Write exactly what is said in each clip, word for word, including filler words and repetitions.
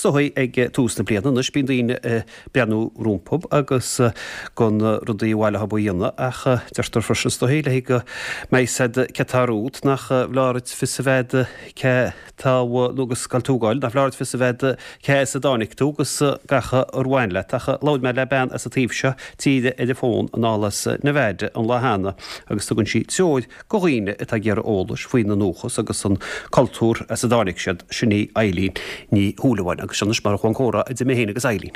Is dóigh ag tús na bliana anois bíonn daoine ag breathnú rompu agus gan rudaí a bhaile a dhéanamh ach deirtear freisin is dóigh le go mbeidh siad cé tá romhat nach bhfearr duit fios a bheith cé tá nó agus gal túgáil nach bhfearr duit fios a bheith cé as a dtáinig tú agus gach ar bhain leat ach labhair mé le bean as an taobh seo tíre ar an bhfón anall as Nevada an lá cheana agus tugann sí treoir go dhaoine atá ag iarraidh eolais faoina ndúchas agus an cultúr as a dtáinig siad sin í Eileen Ní Shúilleabháin agus anois mar chuan comhrá idir mé féin agus Eileen.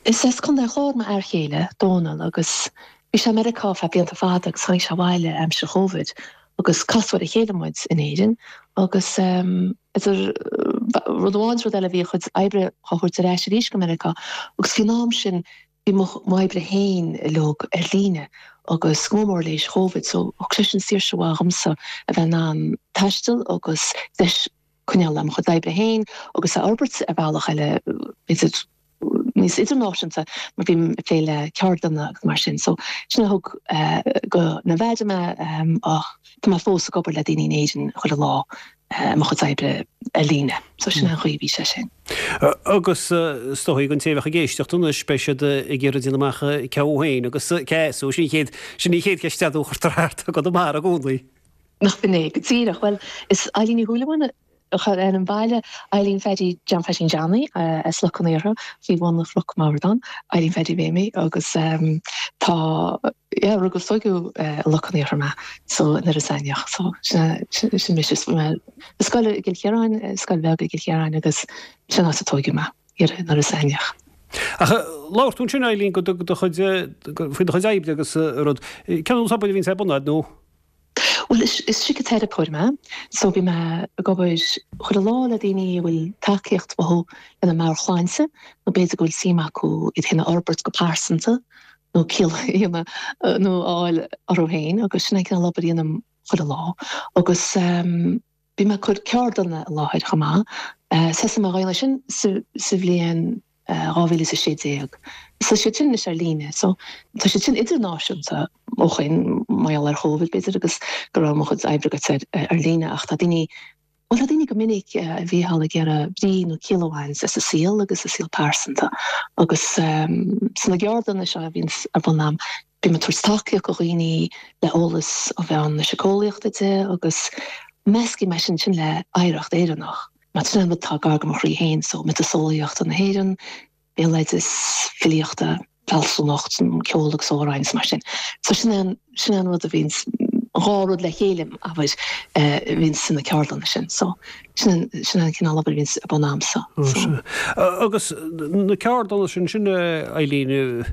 Is as Contae an Chláir m'fhear chéile Dónal agus bhí sé Meiriceá feadh blianta fada agus tháinig sé abhaile aimsir Covid agus casadh ar a chéile muid in Éirinn agus um, idir rud amháin rud eile bhí a chuid oibre á thabhairt ar ais arís go Meiriceá agus faoin am sin bhí m'oibre féin uilig ar líne agus go mór léis Covid so thug sé sin saoirse mhaith dhomsa a bheith in ann taisteal agus deis coinneáil le mo chuid oibre féin agus a fhorbairt ar bhealach eile idir níos idirnáisiúnta mar bhí ag plé le ceardlanna agus mar sin so sin a thug uh, go Nevada mé um, ach tá mé fós ag obair le daoine in Éirinn chuile lá uh, mo chuid oibre ar líne so sin an chaoi bhí sé sin. Agus is dóigh an té a bheadh ag éisteacht anois beidh siad ag iarraidh déanamh amach cé féin agus cé so sin chéad sin ní chéad ceist a chuirtear thart go mar i gcónaí. Nach b'in é go díreach well is Eileen Ní Shúilleabháin chun an baile Eileen Phaddy John Pheaidín Johnny as Loch an Iartha faoi bhun na Chnoc Mardán Eileen Phaddy Mhéimí agus um, tá yeah, rugadh tógadh uh, Loch an Iartha mé so in Iorras Aithneach so sin mise scoil i gCill Chiaráin scoil bheag i gCill Chiaráin agus sin as a tógadh mé in Iorras Aithneach. Ach labhair tú sin Eileen go do chuid faoi do chuid oibre agus rud cén obair a bhíonn ar bun agat nó? Well is, is síciteiripeoir mé, so bím ag obair chuile lá le daoine a bhfuil tacaíocht uathu lena meabhairshláinte, nó b'fhéidir go bhfuil suim acu iad féin a fhorbairt go pearsanta nó ciall nó fháil orthu féin agus sin an cineál obair a dhéanaim chuile lá agus um, bím ag cur ceardlanna i láthair chomh maith. Uh, Thosaigh mé ag déanamh sin sa, sa bhliain dhá mhíle is a sé déag. So sé sin is ar líne, so tá sé sin idirnáisiúnta ó shin mar gheall ar Covid b'fhéidir agus go raibh mo chuid oibre go ar ar líne ach tá daoine Well tá daoine go minic a bhí thall ag iarraidh brí nó ciall a bhaint as a saol agus a saol pearsanta agus um, sna ceardlanna seo a bhíonn ar bun agam bím ag tabhairt tacaíocht do dhaoine le eolas ó bhean na síceolaíochta de agus meascaim é sin sin le hoidhreacht Éireannach. Mar sin rud atá gar do mo chroí féin so miotaseolaíocht na hÉireann, béaloideas filíochta, fealsúnacht, ceol agus amhráin mar sin. So sin an sin an rud a bhíonn dhá rud le chéile abair bhíonn sna ceardlanna sin. So sin sin an cineál obair a bhíonn ar bun agamsa. So. Agus na ceardlanna sin sin Eileen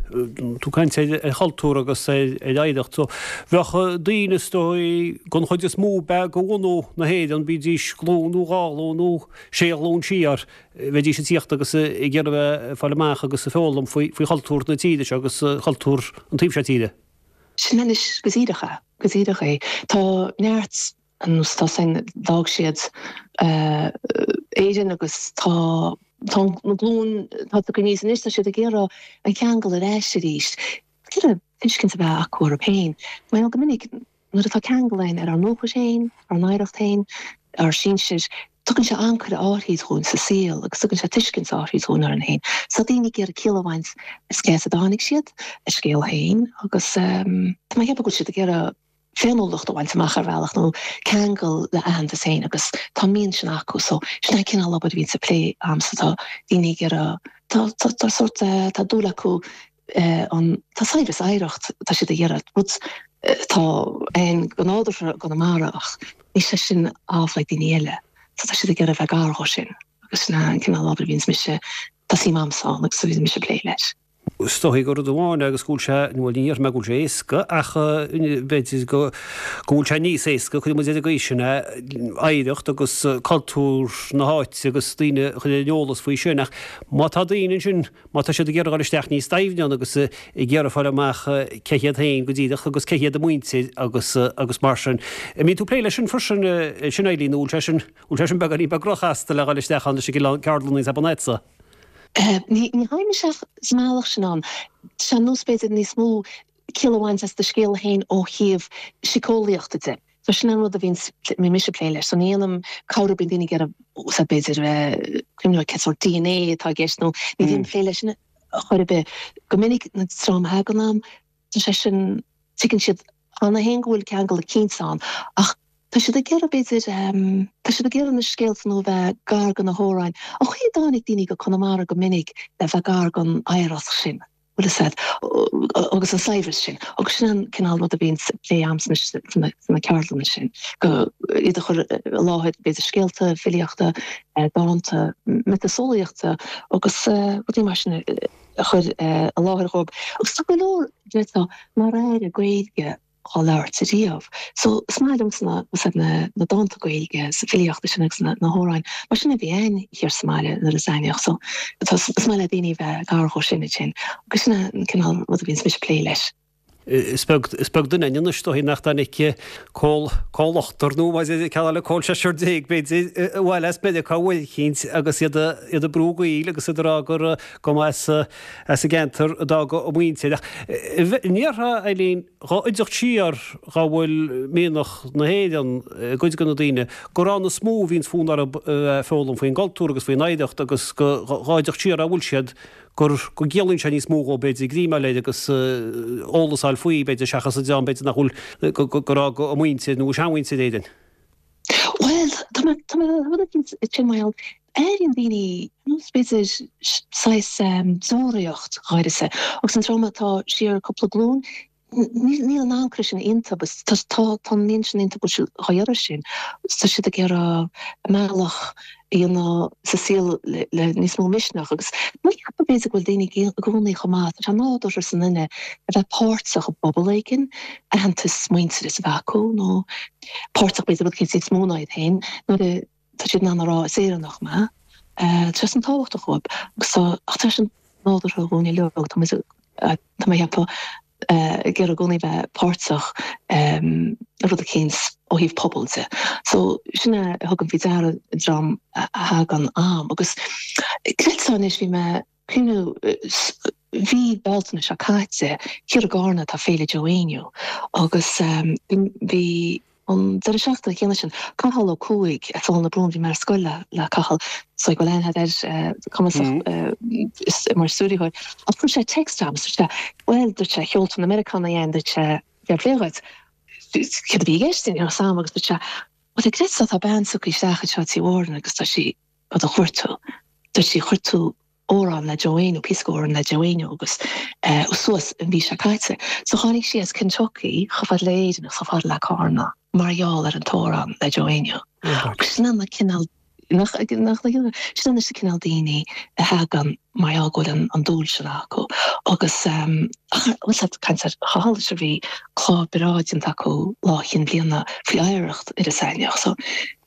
tú ag caint ar chultúr agus ar oidhreacht, so bheadh daoine is dóigh den chuid is mó be go bhunú na hÉireann bídís glúin nó dhá ghlúin nó sé ghlúin siar bheidís ag tíocht agus ag iarraidh bheith fáil amach agus a foghlaim faoi faoi chultúr na tíre seo agus cultúr an taobh seo tíre. Sin anois go díreach é, go díreach é. Tá neart an tá sin d'fhág siad uh, Éirinn agus tá tá na glúin tá go níos anois tá siad ag iarraidh an ceangal ar ais arís. Iarraidh tuiscint a bheith acu orthu féin. Mar go minic nuair atá ceangal againn ar ár ndúchas féin, ár n-oidhreacht féin, ár sinsir, tugann sé ancaire áirid dhúinn sa saol agus tugann sé tuiscint áirid dhúinn orainn féin. So daoine ag iarraidh ciall a bhaint as cé as a dtáinig siad, a scéal féin agus um, tá mé ag ceapadh go bhfuil siad ag iarraidh féiniúlacht a bhaint amach ar bhealach nó ceangal le aitheantas féin agus tá mian sin acu so sin an cineál obair a bhíonn sa plé agamsa tá daoine ag iarraidh tá tá tá sort tá dúil acu eh, an tá saibhreas oidhreacht tá siad ag iarraidh rud tá ein go nádúrtha i gConamara ach ní sé sin amhlaidh daoine eile. So tá siad ag iarraidh bheith gar dhó sin agus sin an cineál obair a bhíonns mise tá suim agamsa ann agus a bhíonns mise ag plé leis. Is dóigh gur rud amháin agus go bhfuil sé bhuel ní déarfaidh mé go bhfuil sé éasca ach b'fhéidir go go bhfuil sé níos éasca chuir muid ar an gcaoi sin é oidhreacht agus cultúr na háite agus daoine a chur ar an eolas faoi sin ach má tá daoine ansin má tá siad ag iarraidh dul isteach níos doimhne ann agus ag iarraidh fáil amach cé hiad féin go díreach agus cé hiad a muintir agus agus mar sin. An mbíonn tú ag plé leis sin freisin sin Eileen nó bhfuil sé sin bhfuil sé sin beagáinín beag róchasta le dhul isteach ann leis an gceardlann níos abonetsa. Ní ní théim isteach sa mbealach sin ann. Tá nós b'fhéidir níos mó ciall a bhaint as do scéal féin ó thaobh síceolaíochta de. So sin an rud a bhíonn mise ag plé leis. So ní dhéanaim cabhrú bíonn daoine ag iarraidh úsáid b'fhéidir cuimhneamh cén sórt DNA atá i gceist nó ní bhím ag plé leis sin chor ar bith. Go minic na dream a thagann a'm, tá sé sin tuigeann siad cheana féin go bhfuil ceangal eicínt ann ach tá siad ag iarraidh b'fhéidir tá siad ag iarraidh na scéalta nó bheith gar do na hamhráin. An chaoi a dtáinig daoine go Conamara go minic le bheith gar don oidhreacht sin. bhfuil a fhios a'd, agus an saibhreas sin. Agus sin an cineál rud a bhíonn á phlé a'm sna sna ceardlanna sin, go iad a chur i láthair b'fhéidir scéalta, filíochta, dánta, miotaseolaíochta agus rudaí mar sin a chur i láthair dhóibh. Agus tá go leor, déarfá, nár airigh Gaeilge á labhairt ariamh. So is maith liomsa na na na dánta Gaeilge is filíochta sin agus na na hamhráin mar sin a bhí againn thiar sa mbaile nuair is aithníodh. So tá is maith le daoine bheith gar dhó sin ansin. Agus sin an cineál rud a bhíonns mise ag plé leis. Is beag is beag duine againn anois is dóigh nach dtáinig col col ochtar nó más é ceann eile col seisear déag b'fhéidir abhaile as Meiriceá uair eicínt agus iad iad ag brú gaoil agus iad ag rá gur go mba as as an gceantar a d'fhág a muintir. Ach an ndéarfá Eileen dhá oideacht siar dhá bhfuil mianach na hÉireann i gcuid de na daoine, gur ann is mó a bhíonns fonn orthu foghlaim faoin gcultúr agus faoin oidhreacht agus go dhá oideacht siar a bhfuil siad gur go gciallaíonn sé níos mó dhóibh b'fhéidir greim a fháil air agus eolas a fháil faoi b'fhéidir seachas an dream b'fhéidir nach bhfuil gur fhág a muintir nó a seanmhuintir Éirinn. Bhuel, tá mé tá mé rud éicint sin mar gheall airíonn daoine nós b'fhéidir saghas deoraíocht dh'áirithe agus an dream atá siar cúpla glúin níl an ancaire sin iontu agus tá tá an mian sin iontu go bhfuil siad dhá iarraidh sin. Tá siad ag iarraidh a mbealach a dhéanamh sa saol le le níos mó misneach agus ní cheapaim b'fhéidir go bhfuil daoine i gcónaí chomh maith, tá sé nádúrtha sa nduine a bheith páirteach i bpobal éigin, aitheantas muintearas a bheith acu nó páirteach b'fhéidir rud éicint níos mó ná iad féin nuair a tá siad in ann a rá is Éireannach mé. Tá sé sin tábhachtach dhóibh agus tá ach tá sé sin nádúrtha dhúinn uilig, tá muid tá mé ag ceapadh ag iarraidh i gcónaí bheith páirteach i rud eicínt ó thaobh pobail de. So sin a thugaim faoi deara an dream a thagann a'm agus creidfeá anois bhí mé cuimhniú mhí Bealtaine seo caite thiar i gCarna tá Féile Joe Éinniú agus bhí An deireadh seachtaine céanna sin, Cathal Ó Cuaig as Aill na Brún, bhí mé ar scoil le Cathal, so go bhfuil aithne air, cumasach mar stiúrthóir, ach chuir sé text agam, dúirt sé, bhuel, dúirt sé, sheol tú na Meiriceánaigh againn, dúirt sé, fair play dhuit, céard a bhí i gceist, ní raibh a fhios agam, agus dúirt sé, bhuel, creidfeá, tá bean tugtha isteach anseo Tí Mhórain agus tá sí á do chuartú, dúirt sí, chuir tú amhrán le Joe Éinniú, píosa amhrán le Joe Éinniú agus suas an mhí seo caite. So tháinig sí as Kentucky chomh fada le Éirinn agus chomh fada le Carna mar gheall ar an t-amhrán le Joe Éinniú. Agus sin an cineál nach nach sin an cineál daoine a thagann mar gheall go bhfuil an dúil sin acu. Agus ach bhfuil siad caint ar Chathal is bhí clár breá déanta acu lá Chinn Bliana faoi oidhreacht Iorras Aithneach. So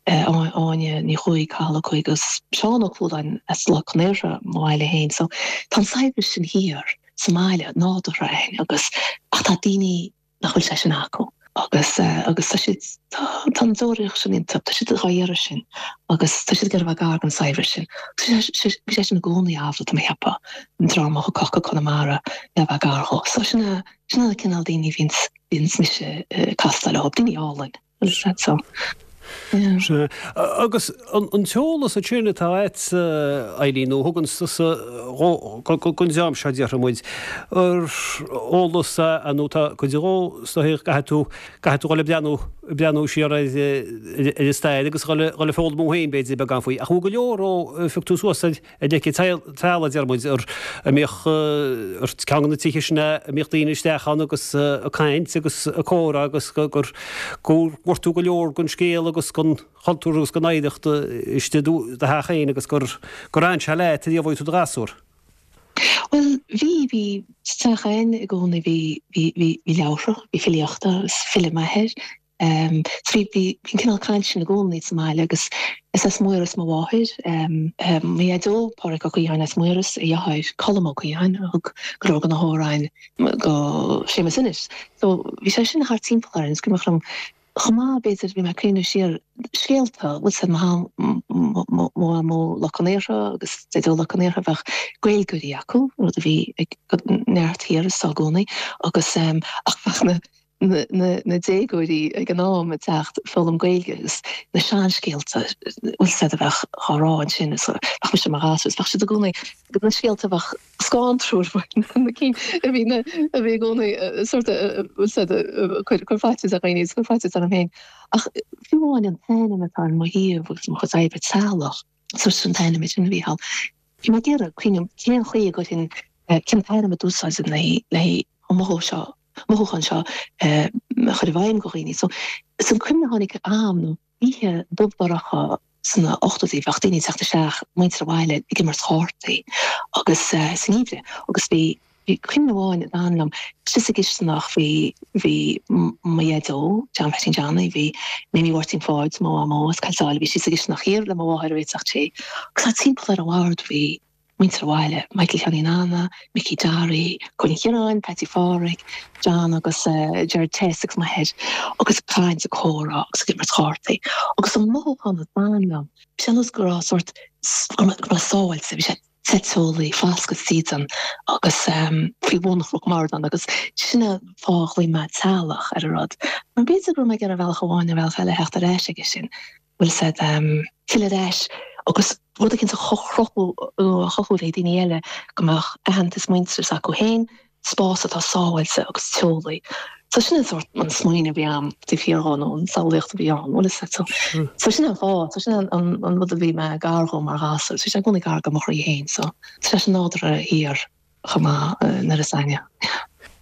Áine Ní Chuaig, Cathal Ó Cuaig agus Seán Ó Cualáin as Loch Con Aortha, mo bhaile féin. So tá an saibhreas sin thiar sa mbaile, nádúrtha againn agus ach tá daoine nach bhfuil sé sin acu agus agus tá siad tá tá an deoraíocht sin iontu, tá siad dhá iarraidh sin agus tá siad ag iarraidh a bheith gar don saibhreas sin. Bhí sé sin i gcónaí amhlaidh, tá mé ag ceapadh, an dream a thiocfadh go Conamara le bheith gar dhó. So sin a sin an cineál daoine a bhíonns bhíonns mise ag castáil leo, daoine álainn. So, yeah. Sea. Agus an t-eolas ansin atá agat, Eileen, nó a thugann tusa don dream seo, déarfaidh muid, ar eolas é nó tá cuid dhó is dóigh caithfidh tú, caithfidh tú dhul ag breathnú, ag breathnú siar ar ar an stair agus dhul ag foghlaim thú féin b'fhéidir beagán faoi. Ach bhfuil go leor ó phioc tú suas ar Ar leic an teallaigh, deir muid, a mbíodh ar ceann de na tithe sin a mbíodh daoine isteach ann agus ag caint agus ag comhrá agus gur gur bhfuair tú go leor den scéal agus den chultúr agus den oidhreacht istigh i do theach féin agus gur gur fhan sé leat ariamh ó bhí tú i do ghasúr. Bhuel, bhí, bhí sa teach againn i gcónaí, bhí, bhí, bhí leabhartha, bhí filíochta, is file m'athair So bhí bhí an cineál caint sin i gcónaí sa mbaile agus is as Maoras mo mháthair. Mo dhaideo, Pádraig Ó Caodháin as Maoras, a dheartháir Colm Ó Caodháin a thug go leor de na hamhráin go Séamus Ennis. So bhí sé sin thart timpeall orainn. Is cuimhneach liom chomh maith b'fhéidir bhí mé ag cuimhneamh siar scéalta, bhfuil 's a'd mo mo mhamó Loch Con Aortha agus Daideo Loch Con Aortha bheadh Gaeilgeoirí acu, rud a bhí ag neart thiar is i gcónaí agus ach bheadh na na déagóirí ag an am ag teacht foghlaim Gaeilge agus na seanscéalta bhfuil a fhios agat a bheadh á rá ansin is bheadh mise mar ghasúr is bheadh siad i gcónaí na scéalta a bheadh scanrúil na cinn a bhí na a bhí i gcónaí sort bhfuil a fhios agat cur cur faitíos ar dhaoine is cur faitíos orm féin ach fiú amháin an t-ainm atá ar mo shuíomh agus mo chuid oibre teaghlach sort an t-ainm sin a bhí thall bhí mé ag iarraidh cuimhneamh cén chaoi a gcuirfinn cén t-ainm a d'úsáidfinn le le an mothú seo mothúchán seo a chur i bhfeidhm go dhaoine. So is an cuimhne a tháinig a'm nó oíche dubh dorcha sna ochtóidí bheadh daoine ag teacht isteach muintir an bhaile ag imirt chártaí agus sa ngeimhreadh agus bhí bhí cuimhne amháin a d'fhan liom síos sa gcisteanach bhí bhí mo dhaideo John Pheaitín Johnny bhí Mimi Mháirtín Pháid mo mhamó as Coill Sáile bhí sí sa gcisteanach thiar le mo mháthair a réiteach tae agus thart timpeall ar an bhord bhí muintir an bhaile, Michael Sheáinín Anna, Micí Johnny, Cóilín Chiaráin, Patsy Phádraig, John agus Gerard Tess agus m'athair agus ag caint ag comhrá agus ag imirt chártaí. Agus an mothúchán a d'fhan liom, bhí sé ar nós go raibh sórt, go raibh mé sábháilte, bhí sé te teolaí, foscadh dídean agus faoi bhun Chnoc Mhardán agus sin an fáth a ghlaoigh mé teaghlach ar an rud. Mar b'fhéidir go raibh mé ag iarraidh ar bhealach amháin nó ar bhealach eile theacht ar ais aige sin. bhfuil a fhios agat, filleadh ar ais agus rud éicint a chruthú nó a chothú le daoine eile go mbeadh aitheantas muintearas acu féin, spás atá sábháilte agus teolaí. So sin an sórt an smaoineamh a bhí a'm taobh thiar dhó nó an samhlaíocht a bhí ann, bhfuil a fhios agat. So so sin an fáth, so sin an an an rud a bhí mé gar dhó mar ghasúr. Bhí sé i gcónaí gar do mo chroí féin so tá sé sin nádúrtha thiar chomh maith nuair is aithne.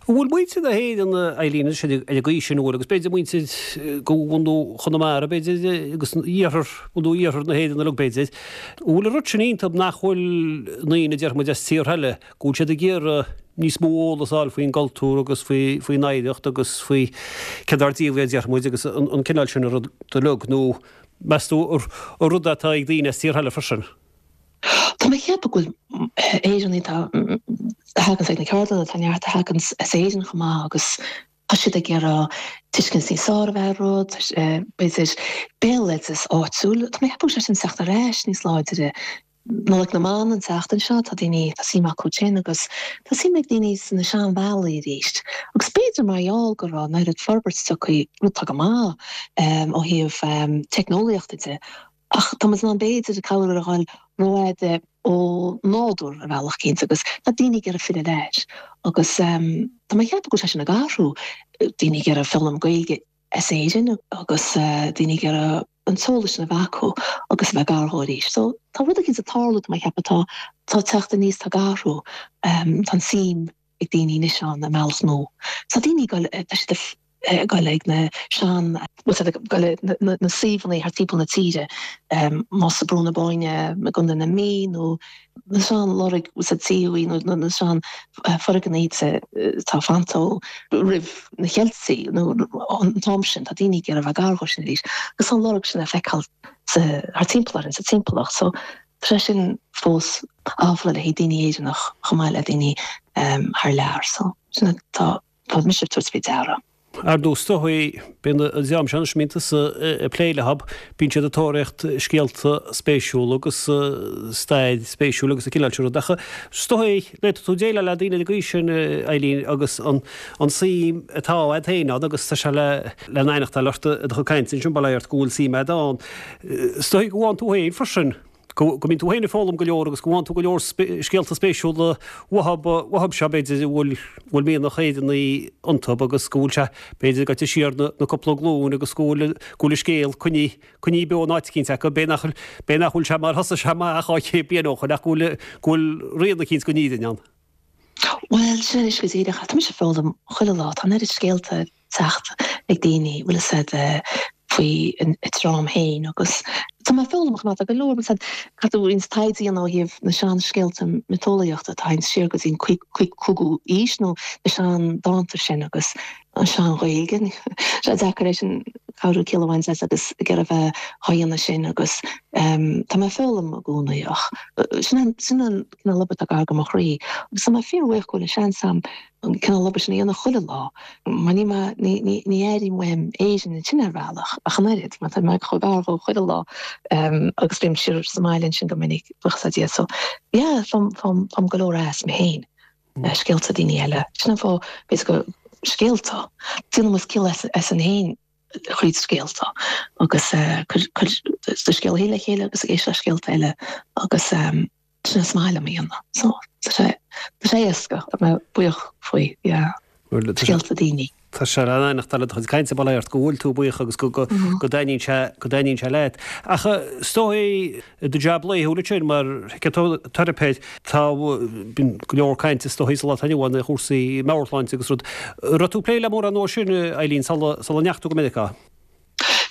An bhfuil muintir na hÉireann, Eileen, anois ar an gcaoi sin, an bhfuil, agus b'fhéidir muintir go bhunú Chonamara, b'fhéidir, agus iarthar, bhunú iarthar na hÉireann uilig, b'fhéidir, an bhfuil an rud sin iontu nach bhfuil ndaoine, a déarfaidh muid, as tíortha eile, go bhfuil siad ag iarraidh níos mó eolas a fháil faoin gcultúr agus faoi, faoin oidhreacht agus faoi céard dár díobh é, a déarfaidh muid, agus an, an cineál sin rud uilig, nó meas tú an rud atá ag daoine as tíortha eile freisin? Tá mé ag ceapadh go bhfuil Éireannaigh atá a thaganns ag na ceardlanna, tá neart a thaganns as Éirinn chomh maith agus tá siad ag iarraidh tuiscint níos fearr a bheith ar rud, b'fhéidir béaloideas áitiúil. Tá mé ag ceapadh go bhfuil sé sin ag teacht ar ais níos láidre. Nollaig na mBan an tseachtain seo, tá daoine, tá suim acu sin agus tá suim ag daoine sna seanbhealaí arís. Agus b'fhéidir mar gheall go raibh an oiread forbairt tagtha, rud atá go maith ó thaobh teicneolaíochta de, Ach tá muid in ann b'fhéidir cabhair a fháil rófhada ó nádúr ar bhealach éicint agus tá daoine ag iarraidh filleadh ar ais agus tá mé ag ceapadh go bhfuil sé sin ag athrú, daoine ag iarraidh foghlaim Gaeilge as Éirinn agus daoine ag iarraidh an t-eolas sin a bheith acu agus a bheith gar dhó arís. So tá rud éicint ag tarlú tá mé ag ceapadh tá tá teacht aníos tá ag athrú tá an suim ag daoine anois ann i mbealach nua. Tá daoine ag dul tá siad ag dul ag na sean bhfuil siad ag dul ag na suíomhanna thart timpeall na tíre, más i Brú na Bóinne i gContae na Mí nó na sean loirg bhfuil siad suíomhanna nó na sean foirgnimh atá fanta ó roimh na Ceiltigh nó an t-am sin, tá daoine ag iarraidh a bheith gar dhó sin arís agus tá an lorg sin le feiceáil thart timpeall orainn sa timpeallacht so tá sé sin fós amhlaidh le haghaidh daoine Éireannach chomh maith le daoine thar lear so sin atá Tá mise ag tabhairt faoi deara. Ar ndóigh, is dóigh, bíonn an dream seo anois a mbíonn tusa ag plé leo, bíonn siad ag tóraíocht scéalta spéisiúla agus stair spéisiúil agus an cineál sin rud. Ach is dóigh, d'fhéadfadh tú déileáil le daoine ar an gcaoi sin, Eileen, agus an suim atá agat féin ann agus tá sé le le n-aithneachtáil ort i do chuid cainte ansin, bail ó Dhia ort go bhfuil suim agat ann. Is dóigh go bhfaigheann tú féin freisin. go mbíonn tú féin ag foghlaim go leor agus go bhfaigheann tú go leor scéalta spéisiúla uathu seo, b'fhéidir, a bhfuil bhfuil mianach Éireannaí iontu agus go bhfuil sé, b'fhéidir, gaibhte siar na na cúpla glúin agus go bhfuil go bhfuil an scéal coinnithe coinnithe beo in áit eicínt acu, b'é nach b'é nach bhfuil sé mar thosaigh sé amach dhá chéad bliain ó shoin ach go bhfuil go bhfuil rian eicínt den fhírinne ann. Bhuel, sin anois go díreach. Tá mise ag foghlaim chuile lá. Tá an oiread scéalta ag teacht ag daoine, bhfuil fhios a'd, faoi a dream féin agus tá mé ag foghlaim chomh maith. Tá go leor, bhfuil fhios a'd, caithfidh tú roinnt taighde a dhéanamh ó thaobh na seanscéalta miotaseolaíochta atá ag siar go dtí an cúigiú aois nó na seandánta sin agus an sean-Ghaeilge. Tá sé deacair é sin cabhrú ciall a bhaint as agus ag iarraidh a bheith á dhéanamh sin agus tá mé ag foghlaim i gcónaí ach sin an sin an cineál obair atá gar do mo chroí agus tá mé fíorbhuíoch go bhfuil an seans a'm an cineál obair sin a dhéanamh chuile lá mar ní mé ní ní ní airím uaim Éirinn ansin ar bhealach ach an oiread mar tá mé chomh gar dhó chuile lá agus bím siar sa mbaile ansin go minic buíochas le Dia so yeah faighim faighim faighim go leor as mé féin. Scéalta daoine eile. Sin an fáth b'fhéidir go scéalta. Déanann muid ciall asainn féin thríd scéalta agus cuir do scéal féin le chéile agus ag éisteacht le scéalta eile agus sin is maith liom a dhéanamh. So tá sé tá sé éasca, tá mé buíoch faoi, yeah. Scéalta daoine. Tá sé in éineacht le do chuid cainte bail ó Dhia ort go bhfuil tú buíoch agus go dtaitníonn sé go dtaitníonn sé leat. Ach is dóigh i do jab laethúil ansin mar shíciteiripeoir tá bíonn go leor cainte is dóigh sa lá atá inniu ann ar chúrsaí meabhairshláinte agus rud. Raibh tú ag plé le mórán dó sin Eileen sula sula ndeachaigh tú go Meiriceá?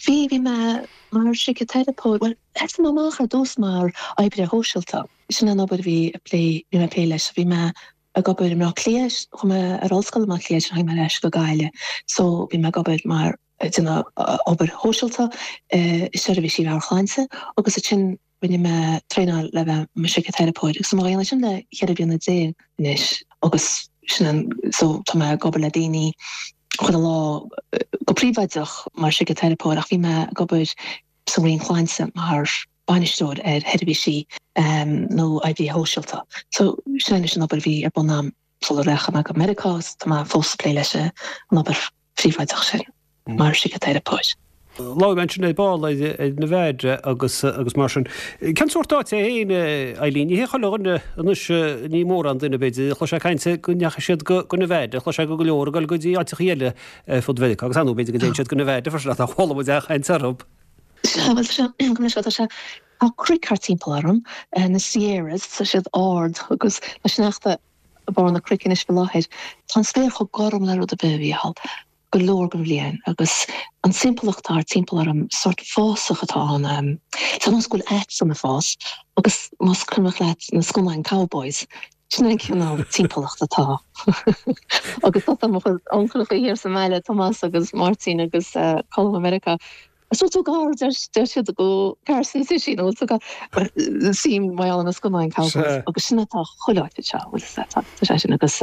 Bhí, bhí mé mar shíciteiripeoir, bhuel thosaigh mé amach ar dtús mar oibrí shóisialta. Sin an obair a bhí ag plé, bhí mé ag plé leis. Bhí mé ag obair i mBleá Cliath, chuaigh mé ar ollscoil i mBleá Cliath ansin tháinig mé ar ais go Gaillimh so bhí mé ag obair mar ag déanamh obair shóisialta i seirbhísí meabhairshláinte agus ansin rinne mé traenáil le bheith i mo shíciteiripeoir agus tá mé á dhéanamh sin le ceithre bliana déag anois agus sin an so tá mé ag obair le daoine chuile lá go príobháideach mar shíciteiripeoir ach bhí mé ag obair sa Roinn Sláinte mar bainisteoir ar sheirbhísí nó oibrithe shóisialta. So sin anois an obair a bhí ar bun agam sula rachaidh mé go Meiriceá agus tá mé fós ag plé leis an obair phríobháideach sin mar shíciteiripeoir. Labhair mé ansin ar ball ar Nevada agus agus mar sin. Cén sórt áit é féin, Eileen? Ní hé chuile dhuine anois, ní mórán duine b'fhéidir, a chloisfeá caint go ndeachaigh siad go Nevada, chloisfeá go go leor ag dul go dtí áiteachaí eile ar fud Mheiriceá agus ar ndóigh b'fhéidir go dtéann siad go Nevada freisin ach nár chuala muid aon chaint orthu. Sea, bhuel, tá sé, go mbeidh sé, tá sé, tá cnoic thart timpeall orm, na Sierras, tá siad ard agus tá sneachta ag barr na cnoic anois faoi láthair. Tá an spéir chomh gorm le rud ar bith, a Mhícheáil, go leor den bhliain agus an timpeallacht atá thart timpeall orm, sórt fásach atá ann, tá nós go bhfuil aiteann ag fás agus más cuimhneach leat na scannáin cowboys, sin an cineál timpeallacht atá agus tá mo chuid uncaileacha thiar sa mbaile, Tomás agus Máirtín agus Colm i Meiriceá. An bhfuil tú gar, deir siad go Carson City nó tú gar suím mar gheall ar na scannáin cowboys agus sin atá chuile áit anseo, bhfuil fhios agat, tá sé sin agus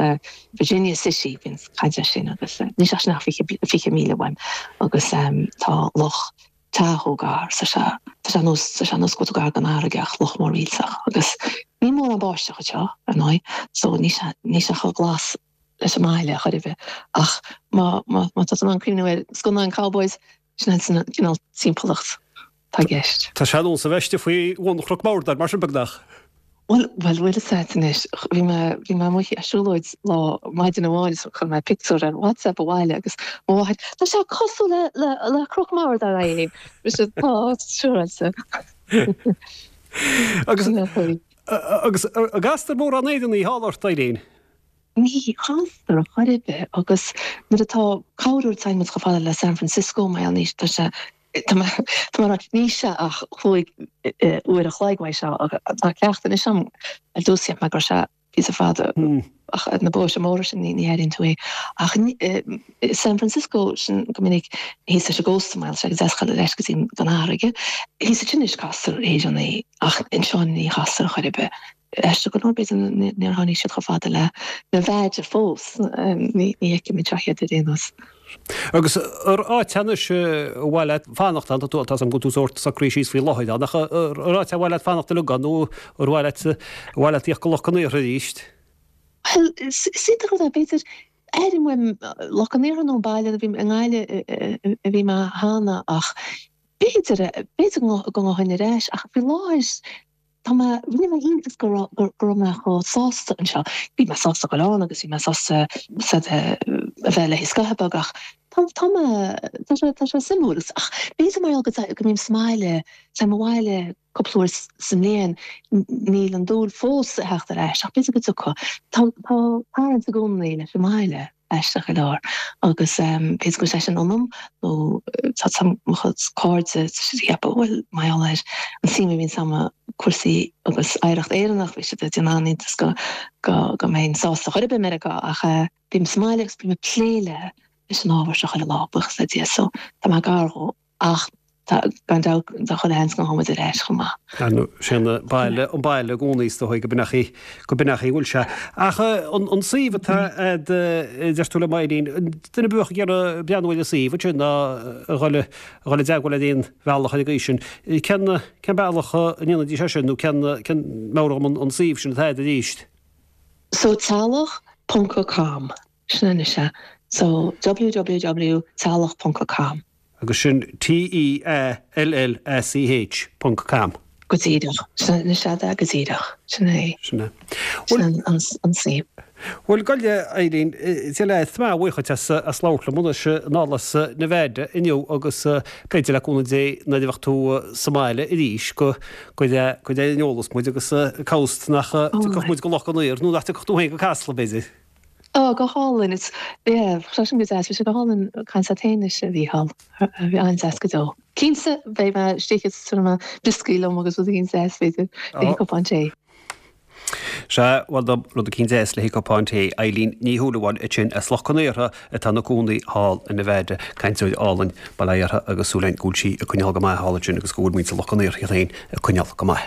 Virginia City, bíonn caint air sin agus níl sé sin ach fiche fiche míle uaim agus tá Loch Tahoe gar, tá sé tá sé nós tá sé nós go bhfuil tú gar don fharraige ach loch mór millteach agus níl mórán báisteach anseo ar ndóigh so níl sé níl sé chomh glas leis an mbaile chor ar bith ach má má má tá tú in ann cuimhniú ar scannáin cowboys Sin an cineál timpeallacht atá i gceist. Tá sé ar nós a bheith istigh faoi bhun Chnoc Mordar, mar sin, beagnach. Bhuel, bhuel, bhfuil fhios agat anois, bhí mé, bhí mé amuigh ag siúlóid lá maidin amháin is chuir mé pictiúr ar WhatsApp abhaile agus mo mháthair, tá sé cosúil le, le, le Cnoc Mordar, a Eileen. Mise, tá, siúráilte. Agus, agus, an gcastar mórán Éireannaigh thall ort, Eileen? Ní chastar chor ar bith agus nuair atá corruair téann muid chomh fada le San Francisco mar gheall níl tá sé tá mé tá mé ag rá níl sé ach cúig uair a chloig uaidh seo agus tá cleachtadh anois agam ar dtús cheap mé go raibh sé píosa fada ach ar na bóithre móra sin ní ní airíonn tú é ach San Francisco sin go minic thíos leis an gcósta mar tá sé go deas dul ar ais go dtí an fharraige thíos ansin anois castar Éireannaigh ach anseo ní chastar chor ar bith. Aisteach go leor, b'fhéidir níor tháinig siad chomh fada le Nevada fós, ní fheicim anseo iad ar aon nós. Agus ar áit anois ar mhaith leat fanacht ann, tá tú, tá 's agam go bhfuil tú sórt socraithe síos faoi láthair ann, ach ar áit ar mhaith leat fanacht uilig ann nó ar mhaith leat, ar mhaith leat tíocht go Loch an Iarthair arís? Bhuel, is iontach rud é, b'fhéidir, airím uaim Loch an Iarthair nó an baile, bhí i nGaillimh a bhí mé cheana ach b'fhéidir, b'fhéidir go ngabhfainn ar ais ach faoi láthair, Tá mé, rinne mé iontas go raibh, go raibh mé chomh sásta anseo. Bhí mé sásta dul ann agus bhí mé sásta a bheith léi scaitheamh beag ach tá, tá mé, tá sé, tá sé suimiúil. Ach b'fhéidir mar gheall go, go mbím sa mbaile, téim abhaile cúpla uair sa mbliain, níl an dúil fós ag theacht ar ais ach b'fhéidir go dtiocfaidh. Tá, tá tarraingt i gcónaí leis an mbaile. Aisteach go leor. Agus b'fhéidir go bhfuil sé sin ionam nó tá tá mo chuid cairde ag ceapadh bhuel mar gheall ar an suim a bhíonn agam i cúrsaí agus oidhreacht Éireannach bhí siad ag déanamh an-iontas go go go mbeinn sásta chor ar bith i Meiriceá ach bím sa mbaile agus bím ag plé le leis an ábhar seo chuile lá, buíochas le Dia so tá mé gar dhó. Ach tá, gan dabht, tá chuile sheans go ngabhfaidh muid ar ais chomh maith. Ar ndóigh, sé an baile, an baile i gcónaí is dóigh go b'in é, go b'in é a bhfuil sé. Ach an, an suíomh atá a'd, a deir tú liom Eileen, duine a bheadh ag iarraidh breathnú ar an suíomh ansin ná a dhul, a dhul i dteagmháil ar aon bhealach ar an gcaoi sin, cén, cén bealach a ndéanfaidís é sin nó cén, cén, meabhraigh dhom an, an suíomh sin atá a'd arís? So teaghlach ponc com, sin anois é. So www teallach ponc com. Agus sin T E A L L A C H ponc com. Go díreach. Sin é go díreach. Sin é. Sin é. Sin an suíomh. Bhuel gabh i leith Eileen le má bhuíochas as as labhairt liom anois anall as Nevada inniu agus b'fhéidir le cúnamh Dé nuair a bheadh tú sa mbaile arís go go go an eolas muid agus cá nach dtiocfadh muid go Loch an Iúir nó nach dtiocfadh tú féin go Casla b'fhéidir. Ó go hálainn is yeah, sin go deas go hálainn caint leat a Mhícheáil bhí an-deas go deo. Cinnte beidh mé istigh mar brioscaí liom agus rud éigin deas b'fhéidir le cupán tae. Se bhfuil rud éicint deas le cupán tae Eileen Ní Shúilleabháin sin as Loch an Iúir atá ina cónaí thall in Nevada cainteoir álainn baile agus súil againn go bhfuil sí ag coinneáil go maith thall sin agus go bhfuil muintir Loch an Iúir féin ag coinneáil go maith.